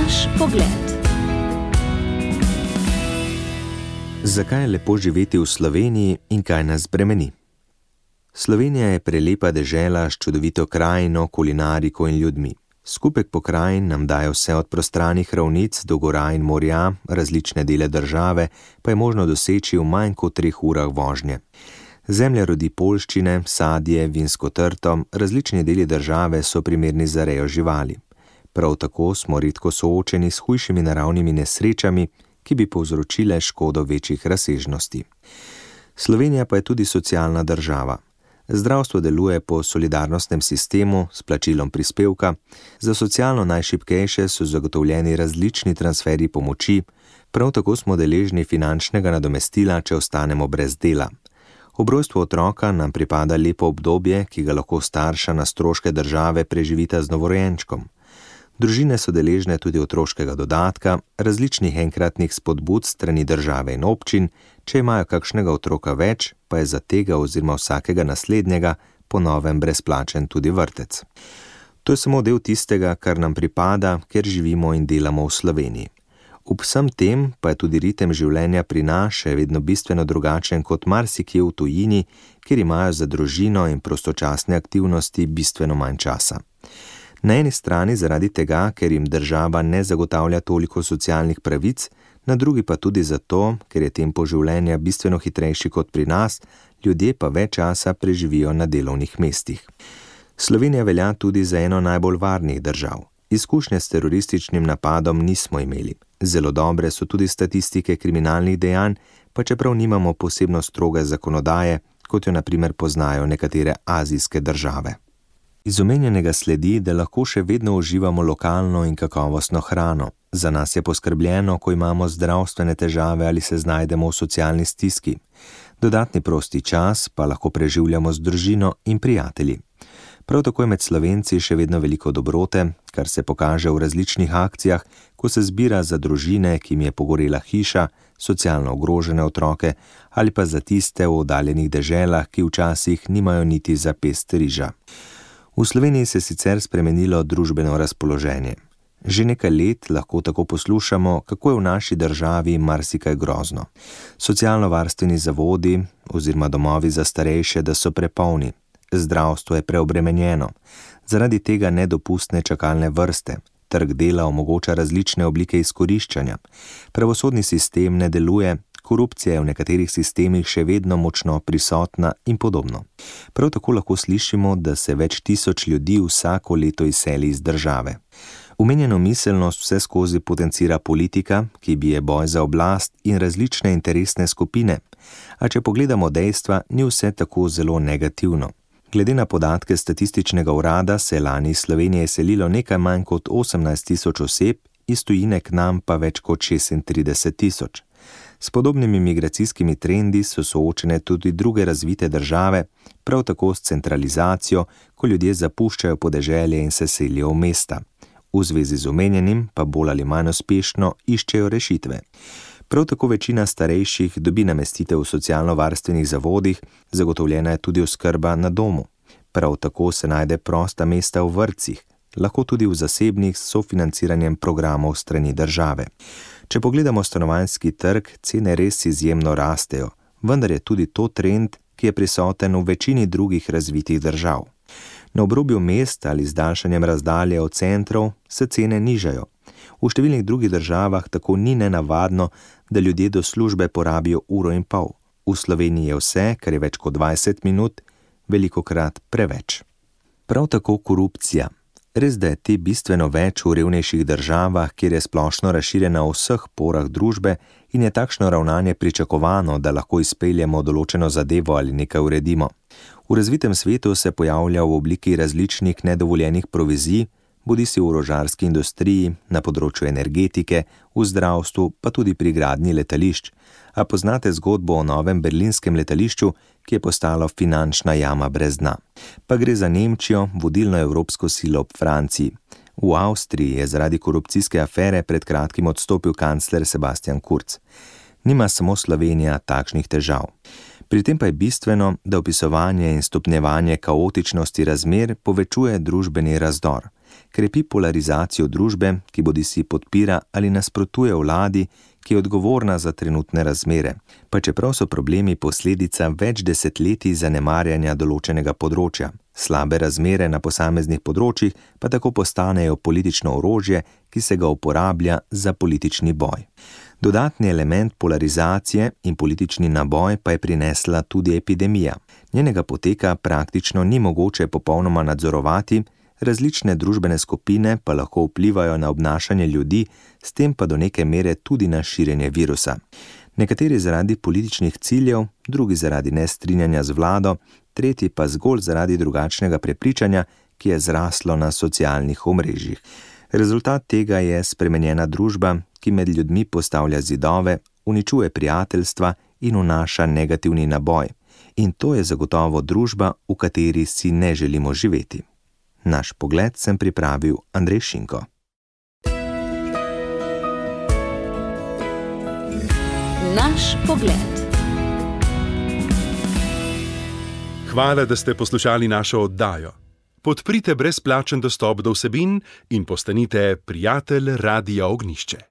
Naš pogled. Zakaj je lepo živeti v Sloveniji in kaj nas bremeni? Slovenija je prelepa dežela s čudovito krajino, kulinariko in ljudmi. Skupek pokrajin nam daje vse od prostranih ravnic do gora in morja, različne dele države pa je možno doseči v manj kot 3 urah vožnje. Zemlja rodi poljščine, sadje, vinsko trto, različni deli države so primerni za rejo živali. Prav tako smo redko soočeni s hujšimi naravnimi nesrečami, ki bi povzročile škodo večjih razsežnosti. Slovenija pa je tudi socialna država. Zdravstvo deluje po solidarnostnem sistemu s plačilom prispevka, za socialno najšibkejše so zagotovljeni različni transferji pomoči, prav tako smo deležni finančnega nadomestila, če ostanemo brez dela. Ob rojstvu otroka nam pripada lepo obdobje, ki ga lahko starša na stroške države preživita z novorojenčkom. Družine so deležne tudi otroškega dodatka, različnih enkratnih spodbud strani države in občin, če imajo kakšnega otroka več, pa je za tega oziroma vsakega naslednjega po novem brezplačen tudi vrtec. To je samo del tistega, kar nam pripada, ker živimo in delamo v Sloveniji. Ob vsem tem pa je tudi ritem življenja pri nas še vedno bistveno drugačen kot marsikje v tujini, kjer imajo za družino in prostočasne aktivnosti bistveno manj časa. Na eni strani zaradi tega, ker jim država ne zagotavlja toliko socialnih pravic, na drugi pa tudi zato, ker je tempo življenja bistveno hitrejši kot pri nas, ljudje pa več časa preživijo na delovnih mestih. Slovenija velja tudi za eno najbolj varnih držav. Izkušnje s terorističnim napadom nismo imeli. Zelo dobre so tudi statistike kriminalnih dejanj, pa čeprav nimamo posebno stroge zakonodaje, kot jo na primer poznajo nekatere azijske države. Iz omenjenega sledi, da lahko še vedno uživamo lokalno in kakovostno hrano. Za nas je poskrbljeno, ko imamo zdravstvene težave ali se znajdemo v socialni stiski. Dodatni prosti čas pa lahko preživljamo z družino in prijatelji. Prav tako je med Slovenci še vedno veliko dobrote, kar se pokaže v različnih akcijah, ko se zbira za družine, ki jim je pogorela hiša, socialno ogrožene otroke ali pa za tiste v oddaljenih deželah, ki včasih nimajo niti za pest riža. V Sloveniji se je sicer spremenilo družbeno razpoloženje. Že nekaj let lahko tako poslušamo, kako je v naši državi marsikaj grozno. Socialno-varstveni zavodi oziroma domovi za starejše, da so prepolni. Zdravstvo je preobremenjeno. Zaradi tega nedopustne čakalne vrste. Trg dela omogoča različne oblike izkoriščanja. Pravosodni sistem ne deluje. Korupcija je v nekaterih sistemih še vedno močno prisotna in podobno. Prav tako lahko slišimo, da se več tisoč ljudi vsako leto izseli iz države. Omenjeno miselnost vse skozi potencira politika, ki bije boj za oblast in različne interesne skupine. A če pogledamo dejstva, ni vse tako zelo negativno. Glede na podatke Statističnega urada se je lani iz Slovenije selilo nekaj manj kot 18.000 oseb, iz tujine k nam pa več kot 36.000. S podobnimi migracijskimi trendi so soočene tudi druge razvite države, prav tako s centralizacijo, ko ljudje zapuščajo podeželje in se selijo v mesta. V zvezi z omenjenim pa bolj ali manj uspešno iščejo rešitve. Prav tako večina starejših dobi namestitev v socialno-varstvenih zavodih, zagotovljena je tudi oskrba na domu. Prav tako se najde prosta mesta v vrtcih, lahko tudi v zasebnih s sofinanciranjem programov strani države. Če pogledamo stanovanjski trg, cene res izjemno rastejo, vendar je tudi to trend, ki je prisoten v večini drugih razvitih držav. Na obrobju mest ali z daljšanjem razdalje od centrov se cene nižajo. V številnih drugih državah tako ni nenavadno, da ljudje do službe porabijo 1,5 ure. V Sloveniji je vse, kar je več kot 20 minut, velikokrat preveč. Prav tako korupcija. Res, da je te bistveno več v revnejših državah, kjer je splošno razširjena v vseh porah družbe in je takšno ravnanje pričakovano, da lahko izpeljemo določeno zadevo ali nekaj uredimo. V razvitem svetu se pojavlja v obliki različnih nedovoljenih provizij, bodisi v orožarski industriji, na področju energetike, v zdravstvu, pa tudi pri gradnji letališč. A poznate zgodbo o novem berlinskem letališču, ki je postalo finančna jama brez dna. Pa gre za Nemčijo, vodilno evropsko silo ob Franciji. V Avstriji je zaradi korupcijske afere pred kratkim odstopil kancler Sebastian Kurz. Nima samo Slovenija takšnih težav. Pri tem pa je bistveno, da opisovanje in stopnjevanje kaotičnosti razmer povečuje družbeni razdor. Krepi polarizacijo družbe, ki bodisi podpira ali nasprotuje vladi, ki je odgovorna za trenutne razmere, pa čeprav so problemi posledica več desetletij zanemarjanja določenega področja. Slabe razmere na posameznih področjih pa tako postanejo politično orožje, ki se ga uporablja za politični boj. Dodatni element polarizacije in politični naboj pa je prinesla tudi epidemija. Njenega poteka praktično ni mogoče popolnoma nadzorovati, različne družbene skupine pa lahko vplivajo na obnašanje ljudi, s tem pa do neke mere tudi na širjenje virusa. Nekateri zaradi političnih ciljev, drugi zaradi nestrinjanja z vlado, tretji pa zgolj zaradi drugačnega prepričanja, ki je zraslo na socialnih omrežjih. Rezultat tega je spremenjena družba, ki med ljudmi postavlja zidove, uničuje prijateljstva in vnaša negativni naboj. In to je zagotovo družba, v kateri si ne želimo živeti. Naš pogled sem pripravil Andrej Šinko. Naš pogled. Hvala, da ste poslušali našo oddajo. Podprite brezplačen dostop do vsebin in postanite prijatelj Radia Ognjišče.